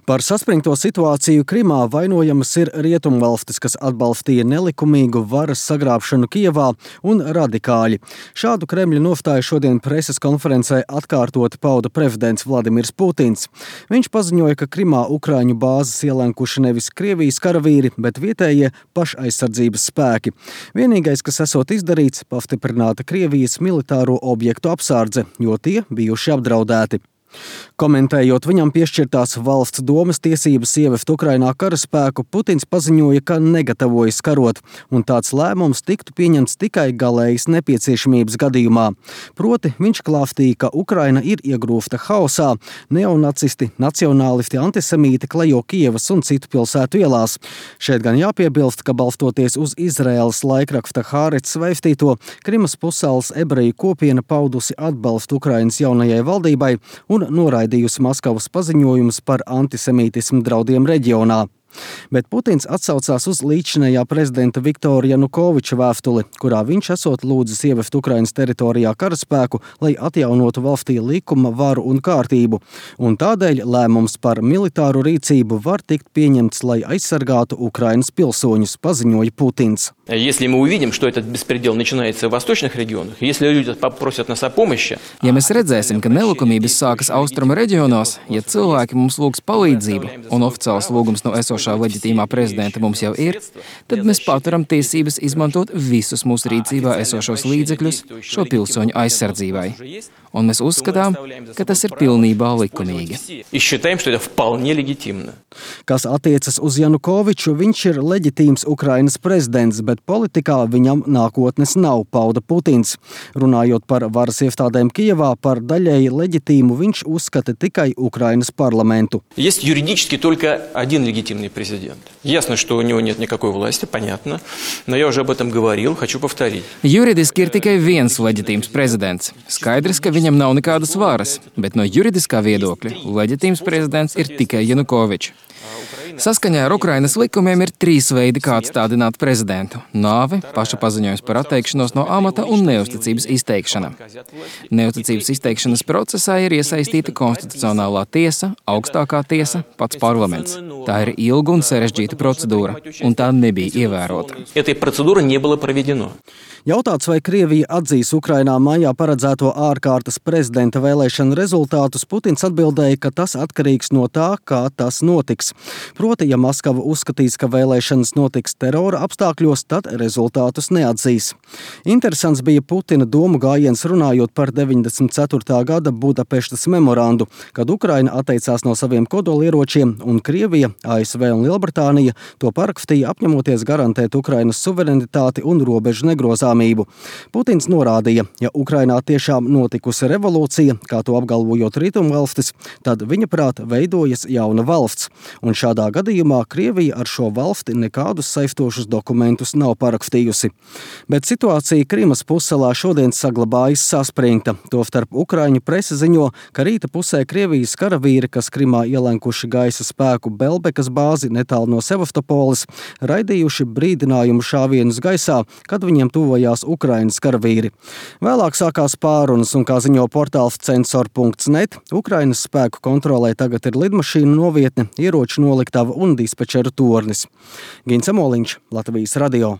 Par saspringto situāciju Krimā vainojamas ir rietumvalstis, kas atbalstīja nelikumīgu varas sagrābšanu Kijevā, un radikāļi. Šādu Kremļa nostāju šodien preses konferencē atkārtoti pauda prezidents Vladimirs Putins. Viņš paziņoja, ka Krimā Ukraiņu bāzes ielenkuši nevis Krievijas karavīri, bet vietējie pašaizsardzības spēki. Vienīgais, kas esot izdarīts, pastiprināta Krievijas militāro objektu apsardze, jo tie bijuši apdraudēti. Komentējot viņam piešķirtās valsts domas tiesības ievest Ukrainā karaspēku, Putins paziņoja, ka negatavojas karot, un tāds lēmums tiktu pieņemts tikai galējas nepieciešamības gadījumā. Proti, viņš klāstīja, ka Ukraina ir iegrūsta haosā, neonacisti, nacionālisti, antisemīti klejo Kijevas un citu pilsētu ielās. Šeit gan jāpiebilst, ka balstoties uz Izraēlas laikraksta Haaretz vēstīto, Krimas pussalas ebreju kopiena paudusi atbalstu Ukrainas jaunajai valdībai un noraidījusi Maskavas paziņojumus par antisemītismu draudiem reģionā. Bet Putins atsaucās uz līdzinējā prezidenta Viktora Janukoviča vēstuli, kurā viņš esot lūdzis ievest Ukrainas teritorijā karaspēku, lai atjaunotu valstī likuma, varu un kārtību. Un tādēļ lēmums par militāru rīcību var tikt pieņemts, lai aizsargātu Ukrainas pilsoņus, paziņoja Putins. Если мы увидим, что этот беспредел начинается в восточных регионах, если люди попросят нас о помощи... Ja mēs redzēsim, ka nelikumības sākas austrumu reģionos, ja cilvēki mums lūgs palīdzību, un oficiāls lūgums no esošā leģitīmā prezidenta mums jau ir, tad mēs paturam tiesības izmantot visus mūsu rīcībā esošos līdzekļus šo pilsoņu aizsardzībai. Un mēs uzskatām, ka tas ir pilnībā likumīgi. Kas attiecas uz Janukoviču, viņš ir leģitīms Ukrainas prezidents, bet politikā viņam nākotnes nav, pauda Putins. Runājot par varas iestādēm Kijevā, par daļēji leģitīmu viņš uzskata tikai Ukrainas parlamentu. Есть юридически только один легитимный президент. Ясно, что у него нет никакой власти, понятно, но я уже об этом говорил, хочу повторить. Juridiski ir tikai viens leģitīms prezidents. Skaidrs, ka viņam nav nekādas varas, bet no juridiskā viedokļa leģitīms prezidents ir tikai Janukovičs. Saskaņā ar Ukrainas likumiem ir 3 veidi, kā atstādināt prezidentu – nāvi, paša paziņojums par atteikšanos no amata un neusticības izteikšana. Neusticības izteikšanas procesā ir iesaistīta konstitucionālā tiesa, augstākā tiesa, pats parlaments. Tā ir ilga un sarežģīta procedūra, un tā nebija ievērota. Jautāts, vai Krievija atzīs Ukrainā maijā paredzēto ārkārtas prezidenta vēlēšanu rezultātus, Putins atbildēja, ka tas atkarīgs no tā, kā tas notiks. Proti, ja Maskava uzskatīs, ka vēlēšanas notiks terora apstākļos, tad rezultātus neatzīs. Interesants bija Putina domu gājiens runājot par 94. gada Budapeštas memorandu, kad Ukraina atteicās no saviem kodolieročiem un Krievija, ASV un Lielbritānija to parakstīja apņemoties garantēt Ukrainas suverenitāti un robežu negrozāmību. Putins norādīja, ja Ukrainā tiešām notikusi revolūcija, kā to apgalvojot rietumvalstis, tad viņa prāt veidojas jauna valsts. Un šādā gadījumā Krievija ar šo valsti nekādus saistošus dokumentus nav parakstījusi. Bet situācija Krimas pussalā šodien saglabājas saspringta. Tostarp Ukraiņu prese ziņo, ka rīta pusē Krievijas karavīri, kas Krimā ielenkuši gaisa spēku Belbekas bāzi netālu no Sevastopoles, raidījuši brīdinājumu šāvienus gaisā, kad viņiem tuvojās Ukrainas karavīri. Vēlāk sākās pārunas un, kā ziņo portāls censor.net, Ukrainas spēku kontrolē tagad ir lidmašīnu novietne, ieroču noliktava un dispečeru tornis. Gins Amoliņš, Latvijas radio.